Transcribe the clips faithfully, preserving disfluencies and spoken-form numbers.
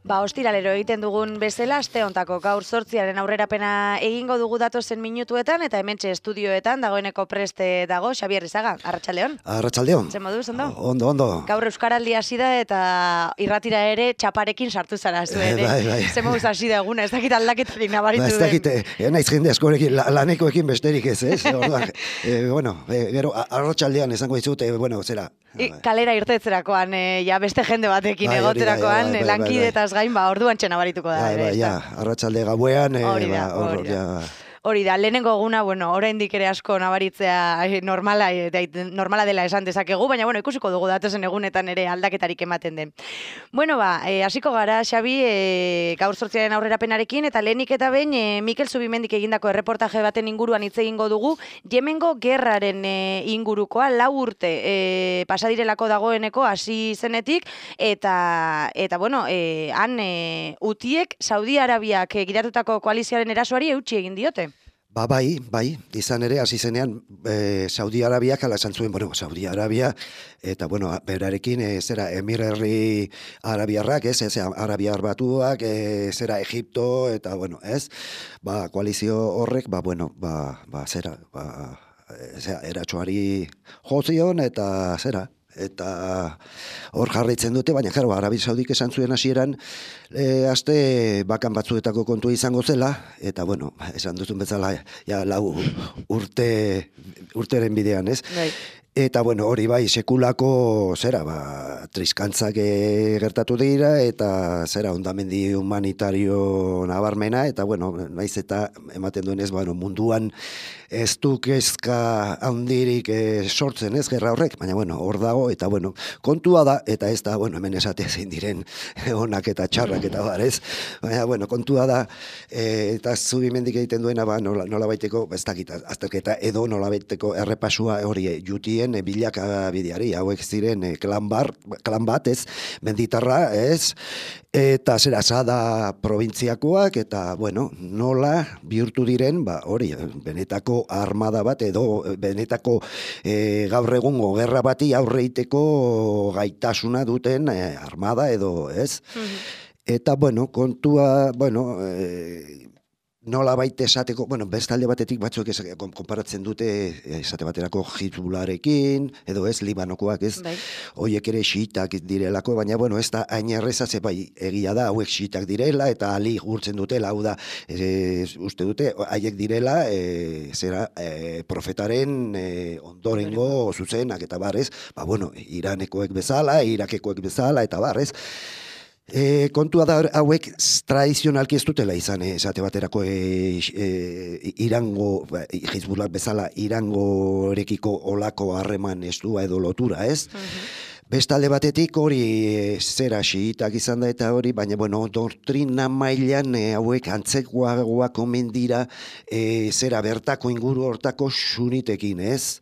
Ba, ostiralero egiten dugun bezala, aste hontako gaur zortziaren aurrerapena egingo dugu datozen minutuetan, eta hementxe estudioetan dagoeneko preste dago Xabier Izaga. Arratsaldeon. Arratsaldeon. Zer moduz, ondo? Ondo, ondo. Gaur Euskaraldi hasi da eta irratira ere txaparekin sartu zara zu ere. Bai, bai. Zer moduz hasi da eguna, ez dakit aldaketarik nabaritu den. Ez dakit, eh, naiz jende askorekin, lanekoekin besterik ez, ez? Orduan, eh, bueno, eh, gero, arratsaldean esango dizut, eh, bueno, zera. I, kalera irtetzerakoan, eh, ja beste jende batekin bai, egoterakoan, bai, bai, lankidetaz gain, ba, orduan txena barituko da. Bai, ere, bai, ja, arratsalde gauean, eh, hori da, ba, hori da. Ja. Hori da, lehenengo eguna, bueno, oraindik ere asko nabaritzea normala, normala dela esan dezakegu, baina bueno, ikusiko dugu datozen egunetan ere aldaketarik ematen den. Bueno, ba, e, hasiko gara, Xabi, e, gaur zortziaren aurrerapenarekin, eta lehenik eta behin, e, Mikel Zubimendik egindako erreportaje baten inguruan hitz egingo dugu, Yemengo gerraren e, ingurukoa, lau urte e, pasadirelako dagoeneko hasi zenetik, eta, eta bueno, e, han e, utiek Saudi Arabiak e, gidatutako koalizioaren erasoari eutsi egin diote. Ba, bai, bai, izan ere, hasi zenean, e, Saudi Arabiak ala esan zuen, bueno, Saudi Arabia, eta, bueno, berarekin, e, zera, Emir Herri Arabiarrak, ez, ez, Arabiar Batuak, e, zera, Egipto, eta, bueno, ez, ba, koalizio horrek, ba, bueno, ba, ba, zera, ba, zera, eratxoari jozion, eta, zera, eta hor jarraitzen dute, baina jaro, Arabi Saudik esan zuen hasieran e, aste bakan batzuetako kontua izango zela, eta bueno, esan duzun bezala ja, lau urte urteren bidean, ez? Bai. Eta bueno, hori bai, sekulako zera, ba, triskantzak e, gertatu dira, eta zera, ondamendi humanitario nabarmena, eta bueno, naiz eta ematen duenez, bueno, munduan ez du kezka handirik e, sortzen ez, gerra horrek, baina bueno, hor dago, eta bueno, kontua da, eta ez da, bueno, hemen esate zein diren onak eta txarrak eta bar, ez? Baina bueno, kontua da, e, eta Zubimendik egiten duena, ba, nola, nola baiteko, ez dakit, azterketa edo nola baiteko errepasua hori jutien, bilaka bideari, hauek ziren e, klan, bar, klan bat, ez, menditarra, ez, eta zera Sada probintziakoak, eta, bueno, nola bihurtu diren, ba, hori, benetako armada bat, edo benetako e, gaur egungo gerra bati aurreiteko gaitasuna duten e, armada, edo, ez? Mm-hmm. Eta, bueno, kontua, bueno, e, nola baita esateko, bueno, bestalde batetik batzuk konparatzen dute esate baterako Hizbullarekin, edo ez, Libanokoak ez, bai. Hoiek ere xiitak direlako, baina bueno, ez da hain erreza, ze bai, egia da, hauek xiitak direla, eta ali gurtzen dutela, hau da, e, uste dute, haiek direla, e, zera, e, profetaren e, ondorengo zuzenak, eta barrez, ba bueno, Iranekoek bezala, Irakekoek bezala, eta barrez, E, kontua da hauek tradizionalki ez dutela izan, e, esate baterako e, e, Irango, Hizbullak bezala Irangorekiko olako harreman estua edo lotura, ez? Uh-huh. Bestalde batetik hori e, zera xiitak izan da eta hori, baina bueno, doktrina mailan e, hauek antzekoagoak omen dira e, zera bertako inguru hortako sunitekin, ez?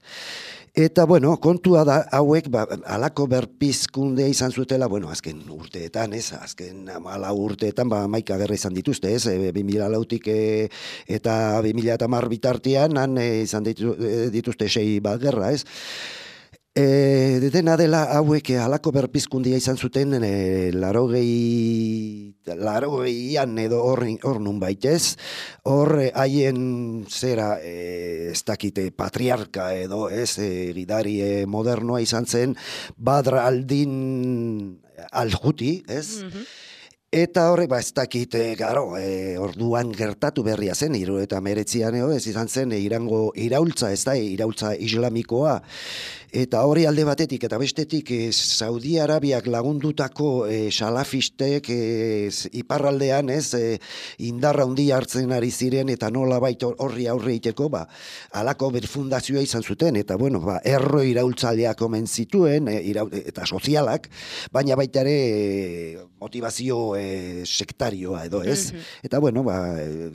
Eta, bueno, kontua da, hauek, ba, alako berpizkundea izan zutela, bueno, azken urteetan, ez, azken amala urteetan, ba, maika gerra izan dituzte, ez, e, bi mila lautik e, eta bi mila hamar bitartean, han e, izan ditu, e, dituzte sei bat gerra, ez. E, dena dela hauek halako berpizkundia izan zuten e, larogei larogeian edo hor, hor nun baitez, hor haien zera e, ez dakite patriarka edo ez e, gidari e, modernoa izan zen Badr al-Din al-Huti, ez? Mm-hmm. Eta horrek, ba, ez dakit, e, garo, e, orduan gertatu berria zen, hiru eta meretzian, ez izan zen, e, Irango iraultza, ez da, e, iraultza islamikoa, eta hori alde batetik, eta bestetik, e, Saudi Arabiak lagundutako e, salafistek e, iparraldean, ez, e, indarra handia hartzen ari ziren, eta nola baita horri aurre iteko, ba, alako berfundazioa izan zuten, eta, bueno, ba, erro iraultzaleak omen zituen, e, iraul, eta sozialak, baina baita ere, e, motivazio e, e, sektarioa edo, ez? Mm-hmm. Eta, bueno, ba,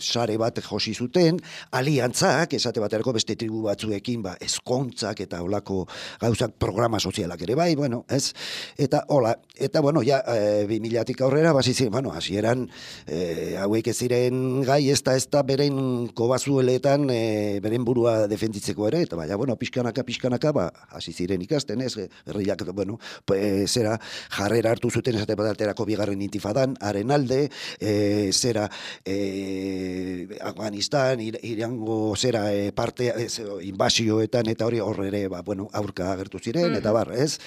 sare bat josi zuten, aliantzak, esate baterako beste tribu batzuekin, ba, ezkontzak eta olako gauzak programa sozialak ere bai, bueno, ez? Eta, hola, eta, bueno, ja, e, bi milatik aurrera, basi ziren, bueno, hasieran e, hauek ez ziren gai, ez da, ez da, beren kobazueletan, e, beren burua defenditzeko ere, eta, baina, bueno, pixkanaka, pixkanaka, ba, hasi ziren ikasten, ez? Herriak, bueno, e, zera, jarrera hartu zuten esate baterako bigarren intifadan, haren alde, e, zera, e, Afganistan, ir, irango zera e, parte, e, inbasioetan, eta hori horre ere, ba, bueno, aurka agertu ziren, mm-hmm. eta bar, ez?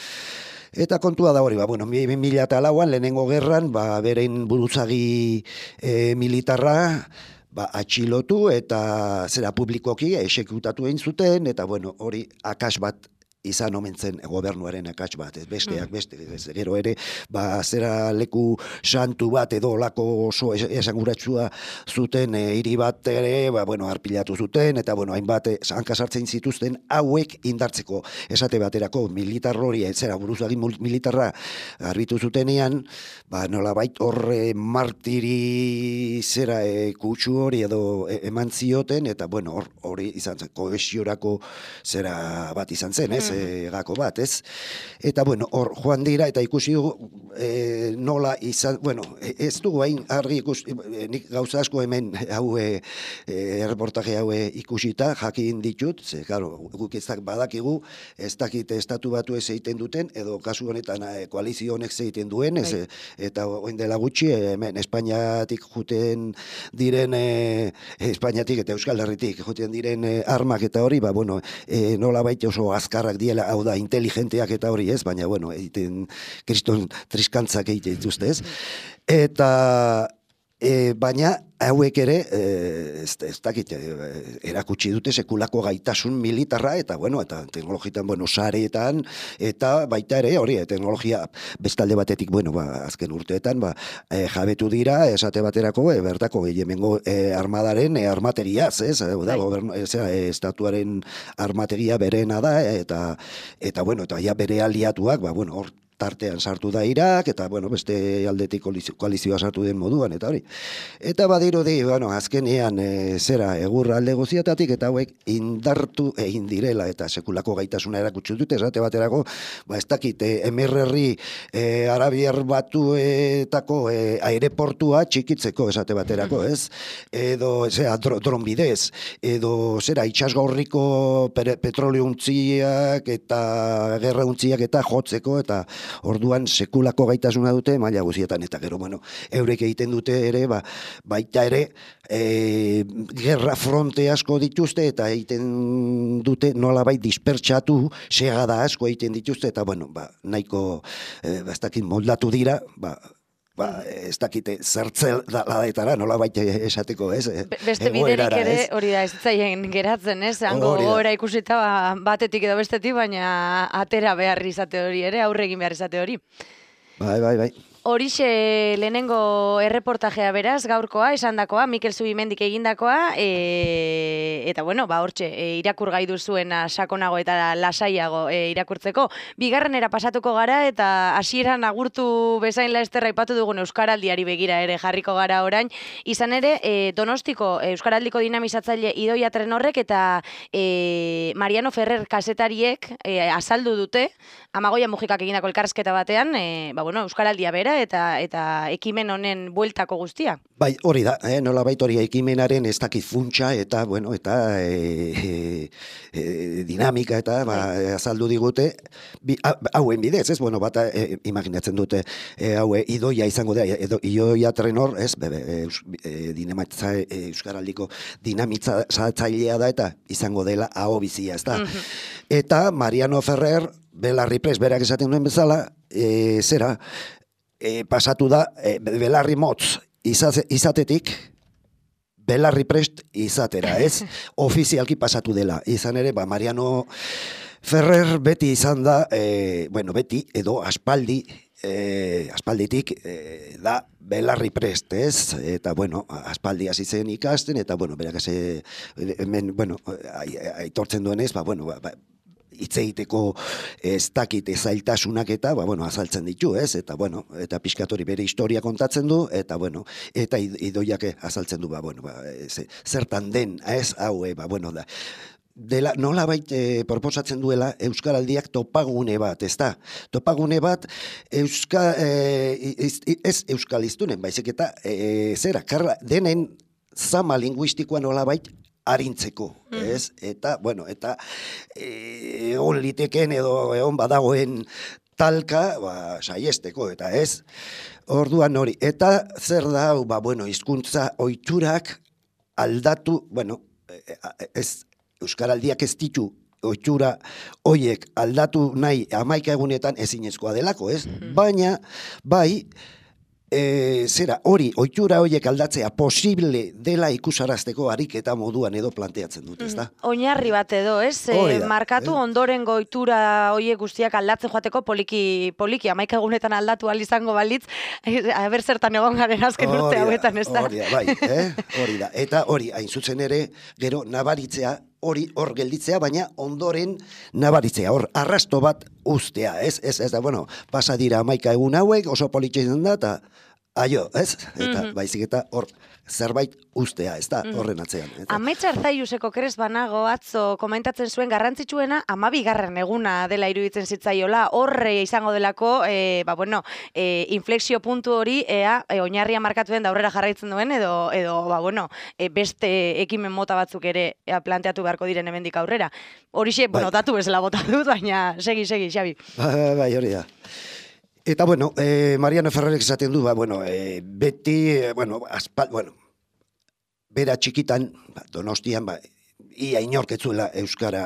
Eta kontua da hori, ba, bueno, bi mila eta lauan, lehenengo gerran, ba, beren buruzagi e, militarra, ba, atxilotu eta zera publikoki exekutatu egin zuten, eta bueno, hori akas bat izan omen zen gobernuaren akats bat, ez besteak beste, ez, gero ere, ba, zera leku santu bat edo lako oso esanguratsua zuten e, hiri bat ere, ba, bueno, arpilatu zuten, eta, bueno, hainbat hanka sartzen zituzten hauek indartzeko, esate baterako militar hori, zera buruzagi militarra arbitu zutenean, ba, nolabait horre martiri zera e, kutsu hori edo e, eman zioten, eta, bueno, hor, hori izan zen, kohesiorako zera bat izan zen, ez? E, gako bat, ez? Eta, bueno, hor joan dira, eta ikusi dugu e, nola izan, bueno, ez dugu hain argi ikusi, e, nik gauza asko hemen hau e, erreportaje hau ikusita, jakin ditut, ze, claro, guk ez badakigu, ez dakit estatu batu ez egiten duten, edo kasu honetan e, koalizio honek egiten duen, ez, e, eta oin dela gutxi, hemen Espainiatik juten diren, e, Espainiatik eta Euskal Herritik juten diren e, armak eta hori, ba, bueno, e, nola baita oso azkarrak diela, hau da, inteligenteak eta hori ez, baina, bueno, egiten kriston triskantzak egiten dituzte ez. Eta, e, baina, hauek ere, e, ez, ez dakit, e, erakutsi dute sekulako gaitasun militarra, eta, bueno, eta teknologitan, bueno, sareetan, eta baita ere, hori, teknologia bestalde batetik, bueno, ba, azken urteetan, ba, e, jabetu dira, esate baterako, e, bertako, gehiamengo e, armadaren e, armateriaz, ez, e, da, gobernu, ez, e, estatuaren armateria berena da, eta, eta, bueno, eta ja bere aliatuak, ba, bueno, hor, tartean sartu da Irak, eta, bueno, beste aldetik koalizioa sartu den moduan, eta hori. Eta badirudi, bueno, azkenean, e, zera, egurra alde guziatatik, eta hauek indartu egin direla, eta sekulako gaitasuna erakutsi dute, esate baterako, ba, ez dakit, e, emirerri e, Arabiar Batuetako e, aireportua txikitzeko, esate baterako, ez? Edo, zera, dro, dron bidez, edo, zera, itxasgaurriko petrolio untziak, eta gerra untziak, eta jotzeko, eta orduan sekulako gaitasuna dute maila guzietan, eta gero, bueno, eurek egiten dute ere, ba, baita ere, e, gerra fronte asko dituzte, eta egiten dute nolabait dispertsatu, segada asko egiten dituzte, eta, bueno, ba, nahiko, e, ba, ez dakit moldatu dira, ba, ba, ez dakite zertzel daetara, nola baita esateko, ez? Beste biderik ere hori da ez zaien geratzen, ez? Hango gora ikusita batetik edo bestetik, baina atera behar izate hori ere, aurre egin behar izate hori. Bai, bai, bai. Horixe lehenengo erreportajea beraz, gaurkoa, esandakoa, Mikel Zubimendik egindakoa, e, eta bueno, ba hortxe, e, irakur gai duzuena sakonago eta lasaiago e, irakurtzeko. Bigarrenera pasatuko gara, eta hasieran agurtu bezain laesterra aipatu dugun Euskaraldiari begira ere jarriko gara orain. Izan ere, e, Donostiko Euskaraldiko dinamizatzaile Idoia Trenorrek eta e, Mariano Ferrer kazetariek e, azaldu dute, Amagoia Mujikak egindako elkarrizketa batean, e, ba bueno, Euskaraldia bera, eta eta ekimen honen bueltako guztia. Bai, hori da, eh, nola bait hori ekimenaren ez dakit funtsa eta, bueno, eta e, e, dinamika eta ba, azaldu digute, bi, hauen bidez, ez, bueno, bata e, imaginatzen dute, e, haue Idoia izango da, edo Idoia Trenor, ez, bebe, e, dinamitza, e, Euskaraldiko dinamitzailea da, eta izango dela aho bizia, ez da. Mm-hmm. Eta Mariano Ferrer, Belarri Prest, berak esaten duen bezala, e, zera, E, pasatu da, e, belarri motz izate, izatetik, belarri prest izatera, ez? Ofizialki pasatu dela. Izan ere, ba, Mariano Ferrer beti izan da, e, bueno, beti, edo aspaldi, e, aspalditik e, da belarri prest, ez? Eta, bueno, aspaldi hasi zen ikasten, eta, bueno, berak eze, hemen, bueno, aitortzen duenez, ba, bueno, ba, ba, hitz egiteko ez dakite zailtasunak eta, ba, bueno, azaltzen ditu, ez? Eta, bueno, eta pixkatori bere historia kontatzen du, eta, bueno, eta idoiak azaltzen du, ba, bueno, ba, ez, zertan den, ez? Hau, ba, bueno, da. Dela, nola bait e, proposatzen duela Euskaraldiak topagune bat, ez da? Topagune bat Euska, e, ez, ez Euskaliztunen, baizik eta e, zera, karla, denen zama linguistikoa nola bait arintzeko, ez? Eta, bueno, eta e, on liteken edo egon badagoen talka, ba, saiesteko, eta ez? Orduan hori, eta zer da, ba, bueno, hizkuntza ohiturak aldatu, bueno, ez, Euskaraldiak ez ditu ohitura hoiek aldatu nahi hamaika egunetan ezinezkoa delako, ez? Mm-hmm. Baina, bai, e, zera, hori, ohitura hoiek aldatzea posible dela ikusarazteko ariketa moduan edo planteatzen dut, ez da? Mm, oinarri bat edo, ez? E, markatu eh? ondoren ohitura hoiek guztiak aldatzen joateko poliki, poliki, hamaika egunetan aldatu ahal izango balitz, aber zertan egon garen azken urte hauetan, ez da? Hori da, bai, eh? Hori da. Eta hori, hain zuzen ere, gero, nabaritzea, hori hor gelditzea, baina ondoren nabaritzea, hor arrasto bat ustea, ez, ez, ez da, bueno, pasa dira hamaika egun hauek, oso politxezen da, eta aio, ez? Eta, mm-hmm. baizik eta hor zerbait ustea, ez da, horren atzean. Eta... Ametsa Arzaiuseko kres banago atzo komentatzen zuen garrantzitsuena amabigarren eguna dela iruditzen zitzaiola, horre izango delako, e, ba, bueno, e, inflexio puntu hori, ea, e, oinarria markatuen da aurrera jarraitzen duen, edo, edo ba, bueno, e, beste ekimen mota batzuk ere ea, planteatu beharko diren hemendik aurrera. Horixe, bai. Bueno, datu bezala bota dut, baina segi, segi, Xabi. Bai, bai, hori da. Eta, bueno, eh, Mariano Ferrerek esaten du, ba, bueno, eh, beti, eh, bueno, aspal, bueno, bera txikitan, ba, Donostian, ba, ia inorketzuela Euskara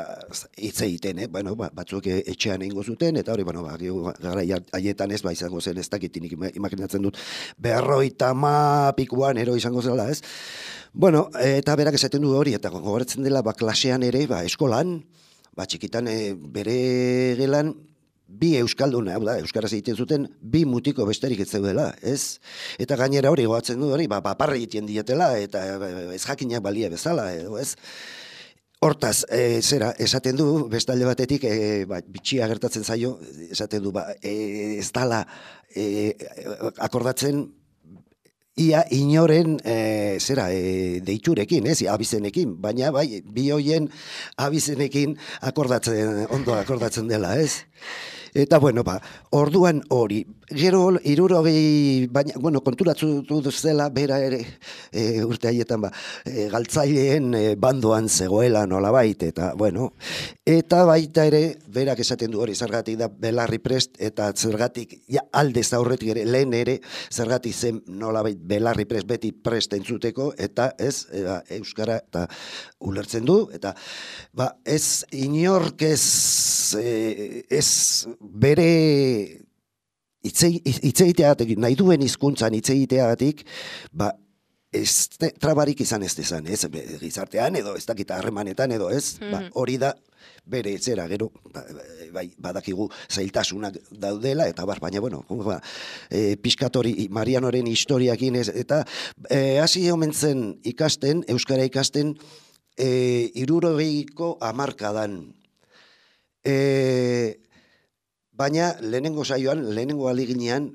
hitz egiten, eh? Bueno, ba, batzuk etxean egingo zuten, eta hori, bueno, ba, gara haietan ez, ba, izango zen, ez dakitinik imaginatzen dut, berroita ma pikuan ero izango zela, ez? Bueno, eta berak esaten du hori, eta gogoratzen dela, ba, klasean ere, ba, eskolan, ba, txikitan e, bere gelan, bi euskalduna, hau da, euskaraz egiten zuten, bi mutiko besterik ez zeudela, ez? Eta gainera hori goatzen du hori, ba, paparra egiten dietela, eta ez jakinak balia bezala, edo, ez? Hortaz, e, zera, esaten du, bestalde batetik, e, ba, bitxia gertatzen zaio, esaten du, ba, e, ez dala e, akordatzen, ia inoren, e, zera, e, deiturekin, ez, abizenekin, baina bai, bi hoien abizenekin akordatzen, ondo akordatzen dela, ez? Eta, bueno, ba, orduan hori, gero hirurogei, baina, bueno, konturatu zela, bera ere, e, urte haietan, ba, e, galtzaileen e, bandoan zegoela nolabait, eta, bueno, eta baita ere, berak esaten du hori, zergatik da belarri prest, eta zergatik, ja, aldez aurretik ere, lehen ere, zergatik zen nolabait belarri prest, beti prest entzuteko, eta ez, e, ba, euskara, eta ulertzen du, eta, ba, ez inork ez, e, ez, bere hitzeiteagatik, nahi duen hizkuntzan hitzeiteagatik, ba, ez trabarik izan ez dezan, ez, gizartean edo, ez dakita harremanetan edo, ez, mm-hmm. ba, hori da, bere etzera, gero, bai, badakigu zailtasunak daudela, eta bar, baina, bueno, ba, e, piskatori, Marianoren historiakin ez, eta e, hasi omen zen ikasten, euskara ikasten, e, hirurogeiko hamarkadan, e, baina lehenengo saioan, lehenengo aliginean,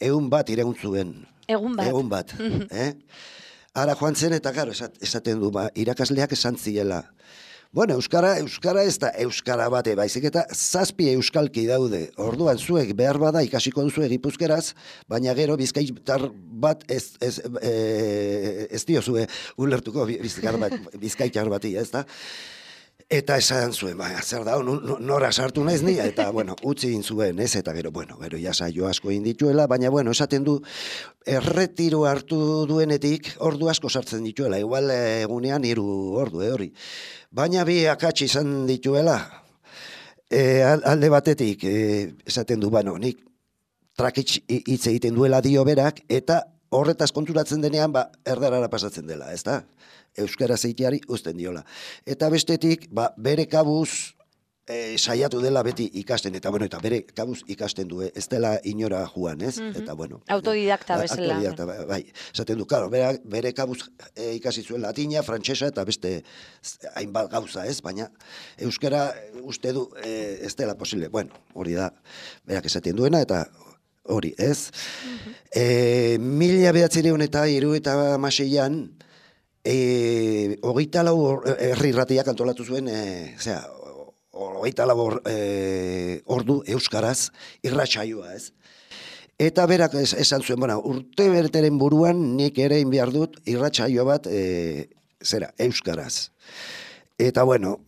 egun bat iraun zuen. Egun bat. Egun bat. eh? Ara joan zen eta garo, esaten du, ba, irakasleak esan ziela. Bueno, euskara, euskara ez da euskara bate, baizik eta zazpi euskalki daude. Orduan zuek behar bada ikasiko duzu Gipuzkeraz, baina gero bizkaitar bat ez, ez, e, ez diozue ulertuko bizkaitar bat, bizkaitar bati, ez da? Eta esan zuen, ba, zer da, nora sartu naiz ni, eta, bueno, utzi egin zuen, ez, eta gero, bueno, gero jasaio asko egin dituela, baina, bueno, esaten du, erretiro hartu duenetik, ordu asko sartzen dituela, igual egunean hiru ordu, eh, hori. Baina bi akatsi izan dituela, e, alde batetik, e, esaten du, bueno, nik trakitz hitz egiten duela dio berak, eta horretaz konturatzen denean, ba, erdarara pasatzen dela, ez da? Euskara zeiteari uzten diola. Eta bestetik, ba, bere kabuz, E, saiatu dela beti ikasten, eta bueno, eta bere kabuz ikasten du, ez dela inora joan, ez? Mhm. Eta bueno. Autodidakta ba, bezala. Autodidakta, bai, bai. Esaten du, claro, bere, bere kabuz e, ikasi zuen latina, frantsesa eta beste hainbat gauza, ez? Baina euskara uste du e, ez dela posible. Bueno, hori da, berak esaten duena, eta hori, ez? Mhm. E, mila behatzireun eta hiru eta hamaseian, e, hogeita lau herri irratiak antolatu zuen, e, zera, hogeita labor e, ordu euskaraz irratsaioa, ez? Eta berak es, esan zuen, bueno, urte berteren buruan nik ere egin behar dut irratsaio bat e, zera, euskaraz. Eta bueno,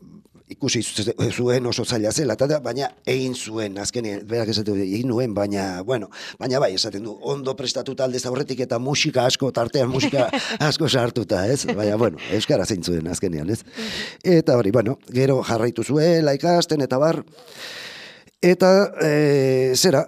ikusi zuen oso zaila zela, eta baina egin zuen, azkenean, berak esaten du, egin nuen, baina, bueno, baina bai, esaten du, ondo prestatuta aldez aurretik eta musika asko, tartean musika asko sartuta, ez? Baina, bueno, euskara zein zuen azkenean, ez? Eta hori, bueno, gero jarraitu zuela ikasten, eta bar, eta, e, zera,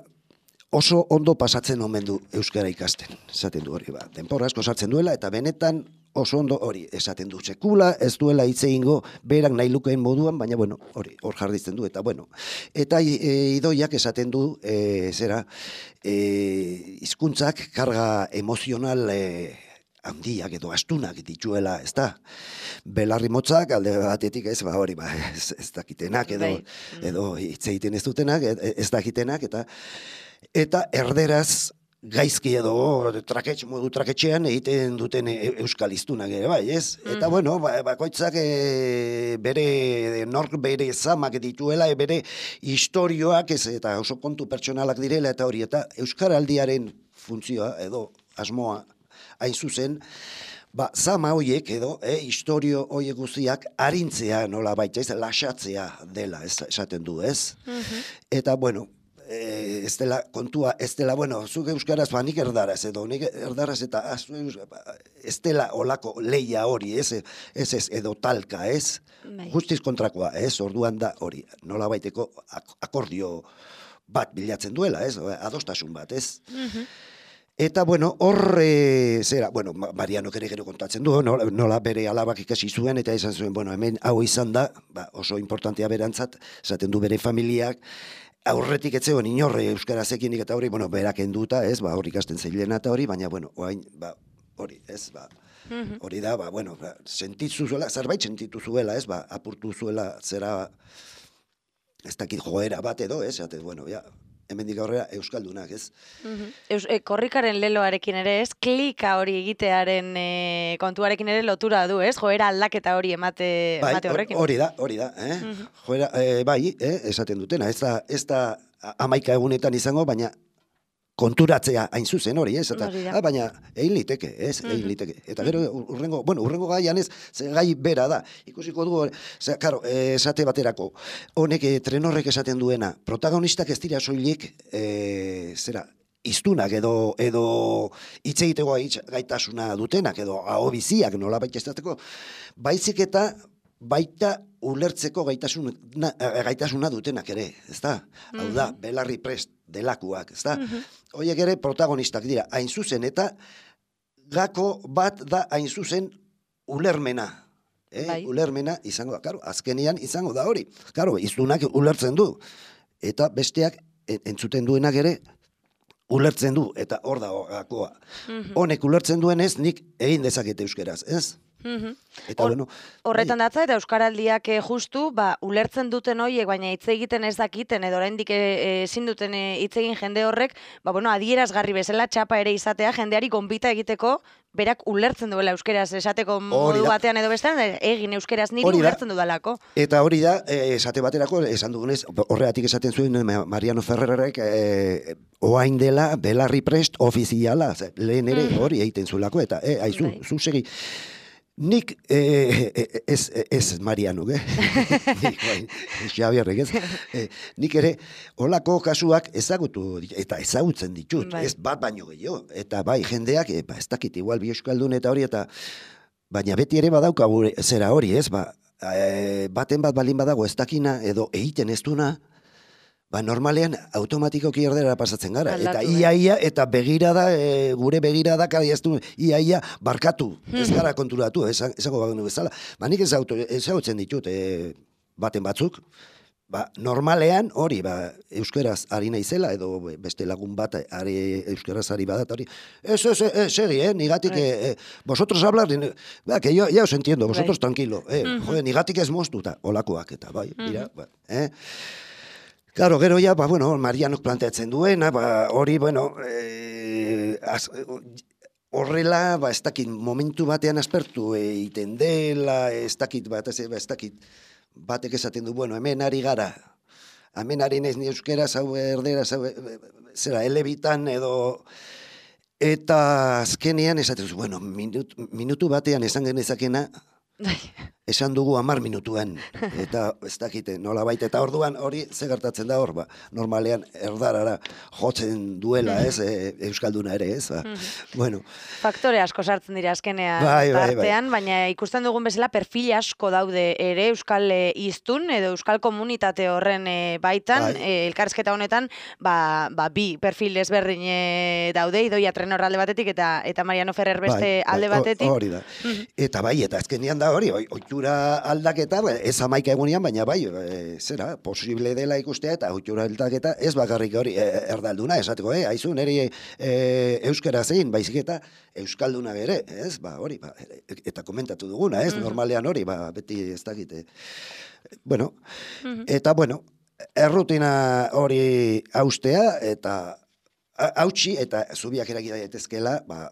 oso ondo pasatzen omen du euskara ikasten, esaten du hori, ba, denpora asko sartzen duela, eta benetan, oso ondo hori esaten du sekula, ez duela hitz egingo berak nahi lukeen moduan, baina bueno, hori hor jarditzen du, eta bueno, eta e, idoiak esaten du, e, zera, e, hizkuntzak karga emozional e, handiak edo astunak dituela, ez da? Belarri motzak, alde batetik ez, ba hori, ba, ez, ez dakitenak, edo, edo hitz egiten ez dutenak, ez dakitenak, eta, eta erderaz, gaizki edo traketx, modu traketxean egiten duten euskal hiztunak ere bai, ez? Eta mm. bueno, ba, bakoitzak e, bere nork bere zamak dituela, e, bere historioak ez, eta oso kontu pertsonalak direla, eta hori, eta euskaraldiaren funtzioa edo asmoa hain zuzen, ba, zama hoiek edo, e, historio hoiek guztiak arintzea nola baita, ez, lasatzea dela, ez, esaten du, ez? Mm-hmm. Eta bueno, Eh, ez dela, kontua, ez dela, bueno, zuk euskaraz, ba, nik erdaraz, edo, nik erdaraz, eta az, ez dela olako leia hori, ez, ez, ez, edo talka, ez, bai. Justiz kontrakoa, ez, orduan da hori, nola baiteko akordio bat bilatzen duela, ez, adostasun bat, ez. Mm-hmm. Eta, bueno, horre, zera, bueno, Mariano ere gero kontatzen du, nola, nola bere alabak ikasi zuen, eta esan zuen, bueno, hemen hau izan da, ba, oso importantea berantzat, esaten du bere familiak, aurretik etzegoen inorre euskarazekinik eta hori, bueno, berak enduta, ez, ba, hori ikasten zeilena eta hori, baina, bueno, oain, ba, hori, ez, ba, hori da, ba, bueno, ba, sentitu zuela, zerbait sentitu zuela, ez, ba, apurtu zuela, zera, ez dakit joera bat edo, ez, eta, bueno, ja, hemendik aurrera euskaldunak, ez? Uh-huh. Eus, e, korrikaren leloarekin ere, ez? Klika hori egitearen e, kontuarekin ere lotura du, ez? Joera aldaketa hori emate, bai, emate horrekin. Hori da, hori da, eh? Uh-huh. Joera, e, bai, eh, esaten dutena, ez da, ez da amaika egunetan izango, baina konturatzea hain zuzen hori, ez? Eta, ah, baina egin liteke, ez? Egin liteke. Eta gero, urrengo, bueno, urrengo gaian ez, ze gai bera da. Ikusiko dugu, ze, karo, esate baterako, honek trenorrek esaten duena, protagonistak ez dira soilik, e, zera, iztunak edo, edo hitz egiteko gaitasuna dutenak, edo ahobiziak nola baita estateko, baizik eta baita ulertzeko gaitasuna, gaitasuna dutenak ere, ez da? Mm-hmm. Hau da, belarri prest delakuak, ez da? Mm-hmm. Horiek ere protagonistak dira, hain zuzen, eta gako bat da hain zuzen ulermena. Eh? Bai. Ulermena izango da, karo, azkenian izango da hori. Karo, iztunak ulertzen du, eta besteak entzuten duenak ere ulertzen du, eta hor da gakoa. Mm-hmm. Honek ulertzen duenez, nik egin dezakete euskeraz, ez? Mm-hmm. Eta, Or, bueno, horretan datza eta euskaraldiak e, justu ba, ulertzen duten horiek, baina hitz egiten ez dakiten edo oraindik ezin duten hitz egin jende horrek, ba, bueno, adierazgarri bezala txapa ere izatea jendeari gonbita egiteko berak ulertzen duela euskeraz esateko modu batean edo bestean, egin euskeraz niri ulertzen dudalako. Eta hori da, esate baterako, esan dugunez, horregatik esaten zuen Mariano Ferrerrek e, oain dela belarri prest ofiziala, lehen ere mm-hmm. hori egiten zuelako, eta e, aizu, bai. Zu segi. Nik, eh, ez, ez Mariano, eh? Nik, bai, Xabierrek, ez? Eh, nik ere, holako kasuak ezagutu, eta ezagutzen ditut, bai. Ez bat baino gehiago. Eta bai, jendeak, eh, ba, ez dakit, igual bi euskaldun eta hori, eta baina beti ere badauka gure, zera hori, ez? Ba, eh, baten bat balin badago ez dakina, edo egiten ez duna, ba, normalean automatikoki erdera pasatzen gara. Aldatu, eta iaia, eta begirada, e, gure begirada kadiaztu, iaia barkatu, ez gara konturatu, ezago bagenu bezala. Ba, nik ez ezagutzen ditut, e, baten batzuk, ba, normalean hori, ba, euskaraz ari naizela, edo beste lagun bat ari, euskaraz ari badat, hori, ez, ez, ez, segi, eh, nigatik, eh, eh, vosotros hablar, ba, que yo, ya os entiendo, vosotros tranquilo, eh, uh -huh. joder, nigatik ez moztuta, olakoak eta, bai, mira, uh -huh. ba, eh, claro, gero ja, ba, bueno, Marianok planteatzen duena, ba, hori, bueno, eh, az, horrela, ba, ez dakit, momentu batean aspertu egiten dela, ez dakit, bat, ez, ez dakit, batek esaten du, bueno, hemen ari gara, hemen ari naiz ni euskera, zau erdera, zau, zera, elebitan edo, eta azkenean esaten du, bueno, minut, minutu batean esan genezakena, esan dugu hamar minutuan, eta ez dakite, nola baita, eta orduan hori ze gertatzen da hor, ba, normalean erdarara jotzen duela, ez, e, euskalduna ere, ez, ba, bueno. Faktore asko sartzen dira azkenean bai, bai, tartean, bai. Baina ikusten dugun bezala perfil asko daude ere euskal hiztun edo euskal komunitate horren e, baitan, bai. e, elkarrizketa honetan, ba, ba, bi perfil ezberdin e, daude, Idoia Trenor alde batetik eta eta Mariano Ferrer beste bai, alde bai, batetik. Hori da. Eta bai, eta azkenean da hori, ohitura aldaketa, ez hamaika egunean, baina bai, e, zera, posible dela ikustea, eta ohitura aldaketa ez bakarrik hori e, erdalduna, esateko, eh, haizu, neri e, euskara zein, baizik eta euskalduna ere, ez, ba, hori, ba, eta komentatu duguna, ez, normalean hori, ba, beti ez dakite. Bueno, eta, bueno, errutina hori haustea, eta hautsi, eta zubiak eragida daitezkela, ba,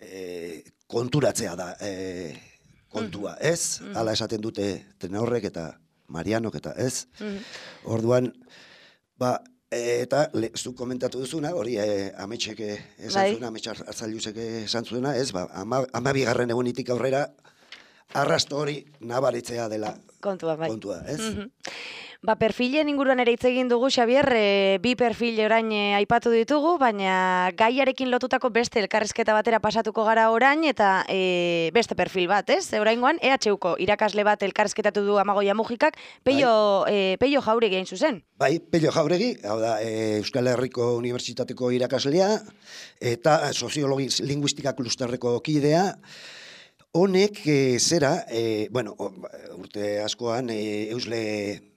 e, konturatzea da, e, kontua, ez? Mm -hmm. Hala esaten dute Trenorrek eta Marianok eta ez? Mm -hmm. Orduan, ba, e, eta le, zu komentatu duzuna, hori e, ametxek esan zuena, ametxar hartzailusek esan zuena, ez? Ba, ama, ama bigarren egunitik aurrera, arrasto hori nabaritzea dela kontua, bai. kontua, ez? Mm -hmm. Ba, perfilen inguruan ere hitz egin dugu, Xabier, e, bi perfil orain e, aipatu ditugu, baina gaiarekin lotutako beste elkarrizketa batera pasatuko gara orain, eta e, beste perfil bat, ez? Oraingoan, E H Uko irakasle bat elkarrizketatu du Amagoia Mujikak, Peio, bai. e, Peio Jauregi hain zuzen. Bai, Peio Jauregi, hau da, e, Euskal Herriko Unibertsitateko irakaslea, eta soziologi linguistika klusterreko kidea. Honek, e, zera, e, bueno, urte askoan, e, eusle...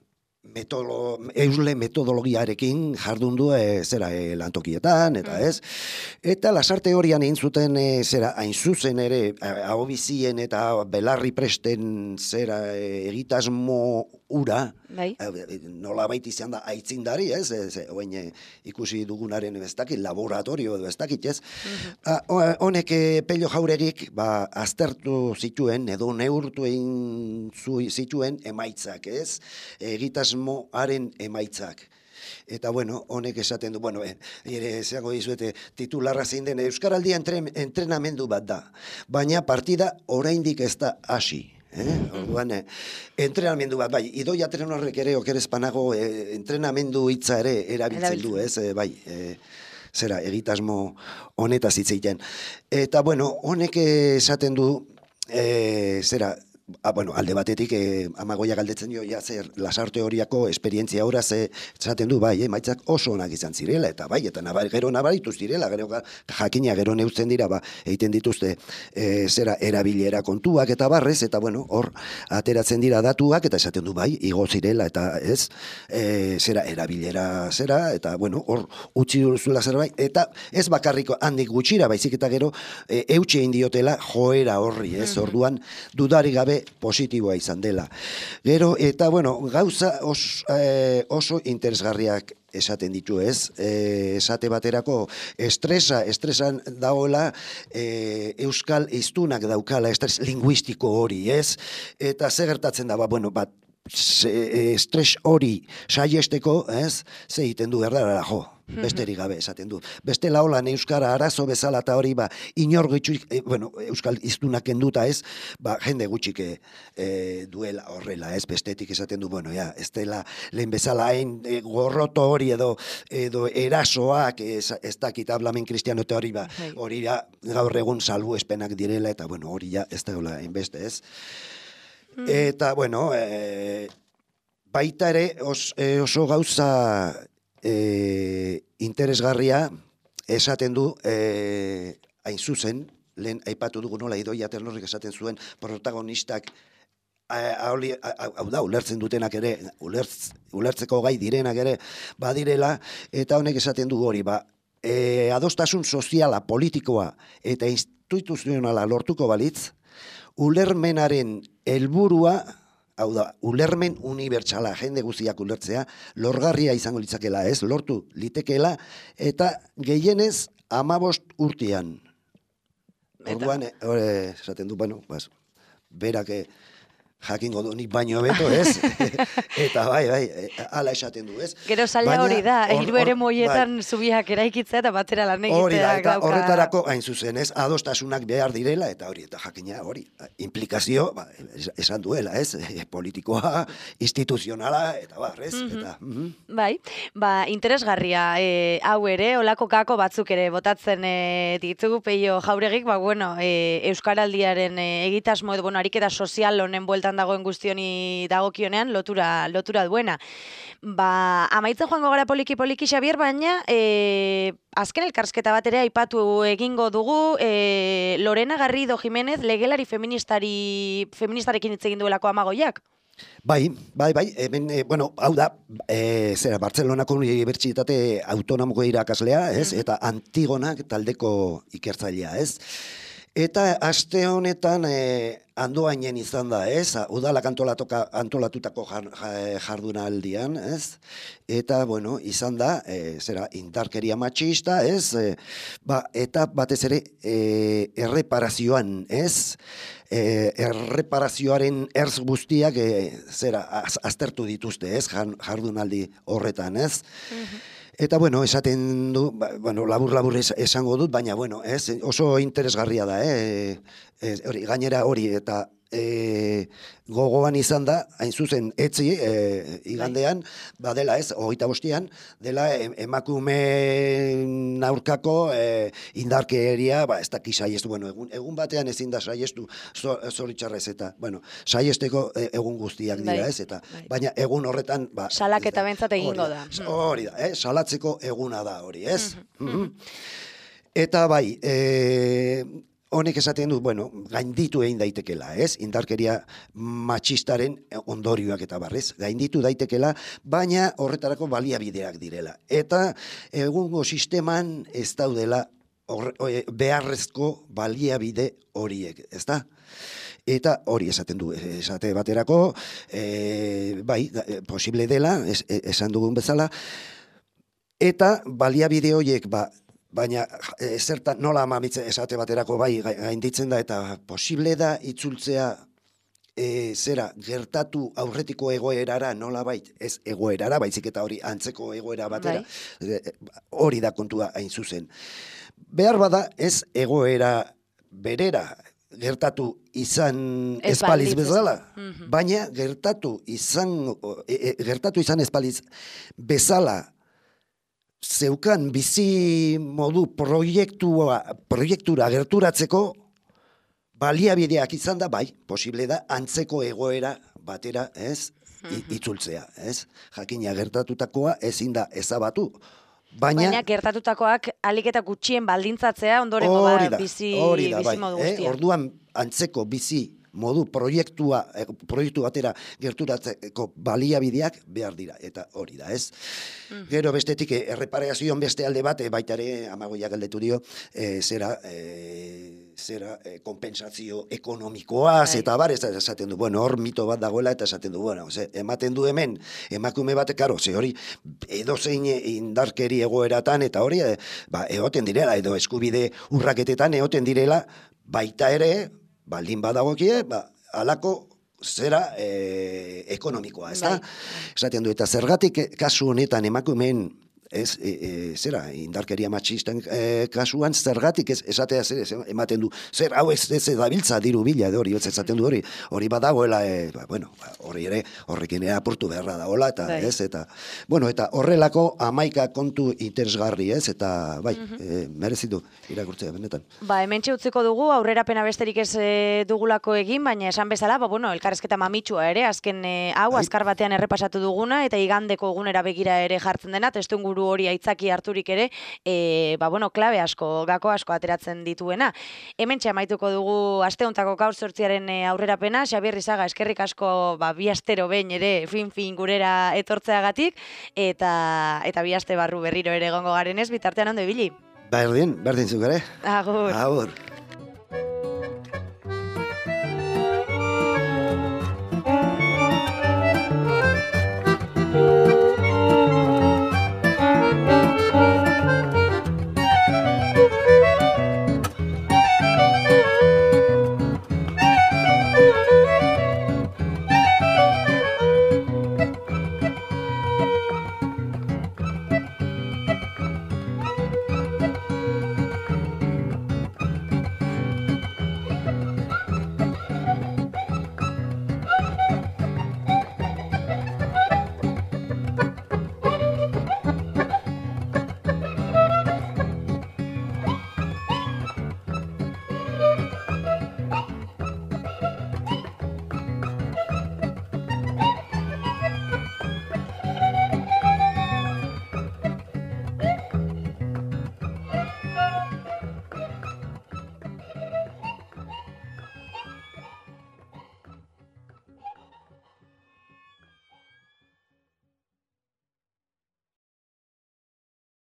Metolo, eusle metodologiarekin jardun du e, zera e, lantokietan, eta ez. Eta lasarte horian egin zuten e, zera hain zuzen ere, ahobizien eta belarri presten zera e, egitasmo ura, bai. e, nola baita izan da aitzindari, ez, ez oen, e, ikusi dugunaren ez dakit, laboratorio edo ez dakit, ez. Honek e, Peio Jauregik ba, aztertu zituen, edo neurtu egin zituen emaitzak, ez, egitasmo haren emaitzak. Eta, bueno, honek esaten du, bueno, ere, zeago dizuete, titularra zein den, Euskaraldia entren, entrenamendu bat da, baina partida oraindik ez da hasi. Eh? Orduan, eh, entrenamendu bat, bai, Idoia Trenorrek ere okerezpanago eh, entrenamendu hitza ere erabiltzen du, ez, eh, bai, eh, zera, egitasmo honetaz hitz egiten. Eta, bueno, honek esaten du, eh, zera, Ah, bueno, alde batetik eh, Amagoia galdetzen dio ja zer lasarte horiako esperientzia ora ze esaten du bai, emaitzak oso onak izan zirela eta bai eta nabar, gero nabaritu zirela, gero jakina gero neuzten dira ba egiten dituzte e, zera erabilera kontuak eta barrez eta bueno, hor ateratzen dira datuak eta esaten du bai, igo zirela eta ez e, zera erabilera zera eta bueno, hor utzi duzula zerbait eta ez bakarriko handik gutxira baizik eta gero e, eutxe egin diotela joera horri, ez? Orduan dudarik gabe positiboa izan dela. Gero, eta bueno, gauza os, eh, oso interesgarriak esaten ditu, ez? E, esate baterako estresa, estresan daola e, euskal hiztunak daukala, estres linguistiko hori, ez? Eta ze gertatzen da, ba, bueno, bat, estres hori saiesteko, ez? Ze egiten du erdara, jo, besterik gabe esaten du. Beste laolan euskara arazo bezala eta hori, ba, inor gutxik, e, bueno, euskal hiztunak kenduta ez, ba, jende gutxik e, duela horrela, ez, bestetik esaten du, bueno, ja, ez dela lehen bezala hain e, gorroto hori edo, edo erasoak, ez, ez dakit hablamen kristiano eta hori, ba, hori ja, gaur egun salbu espenak direla, eta, bueno, hori ja, ez da hola, hainbeste, ez. Eta, bueno, e, baita ere os, e, oso gauza e, interesgarria esaten du e, hain zuzen, lehen aipatu dugu nola Idoia Trenorrek esaten zuen protagonistak hau da, ulertzen dutenak ere, ulertz, ulertzeko gai direnak ere badirela, eta honek esaten du hori, ba, e, adostasun soziala, politikoa eta instituzionala lortuko balitz, ulermenaren helburua, hau da, ulermen unibertsala, jende guztiak ulertzea, lorgarria izango litzakela, ez, lortu litekeela, eta gehienez hamabost urtean. Orduan, esaten du, bueno, bas, berak jakingo du nik baino beto, ez? Eta bai, bai, ala esaten du, ez? Gero zaila hori da, hiru ere moietan zubiak eraikitzea eta batera lan egiteak hori da, eta horretarako hain zuzen, ez? Adostasunak behar direla, eta hori, eta jakina hori, implikazio, ba, esan duela, ez? Politikoa, instituzionala, eta bar, ez? Eta, bai, ba, interesgarria, hau ere, olako kako batzuk ere botatzen ditugu Peio Jauregik, ba, bueno, Euskaraldiaren egitasmo, bueno, ariketa sozial honen bueltan dagoen guztioni dagokionean lotura lotura duena. Ba, amaitzen joango gara poliki poliki Xabier, baina e, azken elkarrizketa bat ere aipatu egingo dugu, e, Lorena Garrido Jimenez legelari feministari feministarekin hitz egin duelako Amagoiak. Bai, bai, bai, hemen, e, bueno, hau da, e, zera, Bartzelonako Unibertsitate Autonomoko irakaslea, ez, eta Antigonak taldeko ikertzailea, ez. Eta aste honetan e, Andoainen izan da, ez? Udalak antolatutako jardunaldian, ez? Eta, bueno, izan da, e, zera, indarkeria matxista, ez? E, ba, eta batez ere e, erreparazioan, ez? E, erreparazioaren erz guztiak, e, zera, az, aztertu dituzte, ez? Jardunaldi horretan, ez? Eta, bueno, esaten du, bueno, labur-labur esango dut, baina, bueno, ez, oso interesgarria da, eh? E, hori, gainera hori, eta e, gogoan izan da, hain zuzen, etzi, e, igandean, badela ez, hogeita bostian, dela emakume aurkako e, indarkeria, ba, ez daki saiestu, bueno, egun, egun batean ezin da saiestu, zoritxarrez, eta, bueno, saiesteko egun guztiak dira, ez, eta, baina egun horretan, ba, salaketa bentzat egingo da. Hori da, eh, salatzeko eguna da hori, ez? Eta bai, e, honek esaten du, bueno, gainditu egin daitekela, ez? Indarkeria matxistaren ondorioak eta barrez, gainditu daitekela, baina horretarako baliabideak direla. Eta egungo sisteman ez daudela beharrezko baliabide horiek, ez da? Eta hori esaten du, esate baterako, e, bai, posible dela, es, esan dugun bezala, eta baliabide horiek, ba, baina e, zertan nola amamitze esate baterako bai gainditzen da, eta posible da itzultzea e, zera gertatu aurretiko egoerara nola bait, ez egoerara, baizik eta hori antzeko egoera batera, bai. Hori da kontua hain zuzen. Behar bada ez egoera berera, gertatu izan espaliz bezala, mm-hmm. baina gertatu izan, e, gertatu izan espaliz bezala, zeukan bizi modu proiektua, proiektura gerturatzeko baliabideak izan da, bai, posible da, antzeko egoera batera, ez, mm-hmm. itzultzea, ez, jakina gertatutakoa ezin da ezabatu, Baina, Baina gertatutakoak alik eta gutxien baldintzatzea ondorengo ba, bizi, da, bizi bai, modu guztia. Eh? Orduan antzeko bizi modu proiektua, proiektu batera gerturatzeko baliabideak behar dira, eta hori da, ez? Mm. Gero bestetik, erreparazioan beste alde bat, baita ere, Amagoiak galdetu dio, e, zera, e, zera e, kompensazio ekonomikoaz, eta bar, ez esaten du, bueno, hor mito bat dagoela, eta esaten du, bueno, ze, ematen du hemen, emakume bat, karo, ze hori, edozein indarkeri egoeratan, eta hori, e, ba, egoten direla, edo eskubide urraketetan egoten direla, baita ere, baldin badagokie, ba, alako zera e, ekonomikoa, ez da? Esaten du, eta zergatik kasu honetan emakumeen, ez, e, e, zera, indarkeria matxisten e, kasuan, zergatik ez, esatea zer, ez, ematen du, zer, hau ez, ez dabiltza diru bila, hori, ez esaten du hori, hori badagoela, e, ba, bueno, hori ere, horrekin ere apurtu beharra dagoela, eta, bai. ez, eta, bueno, eta horrelako hamaika kontu interesgarri, ez, eta, bai, mm-hmm. e, merezitu irakurtzea, benetan. Ba, hemen utziko dugu, aurrerapena besterik ez e, dugulako egin, baina esan bezala, ba, bueno, elkarrezketa mamitsua ere, azken e, hau, bai. azkar batean errepasatu duguna, eta igandeko egunera begira ere jartzen dena, testu liburu hori aitzaki harturik ere, e, ba, bueno, klabe asko, gako asko ateratzen dituena. Hementxe amaituko dugu aste hontako gaur zortziaren aurrerapena, Xabier Izaga, eskerrik asko ba, bi astero behin ere fin-fin gurera etortzeagatik, eta, eta bi aste barru berriro ere egongo garenez, bitartean ondo ibili. Berdin, berdin zuk ere. Agur. Agur.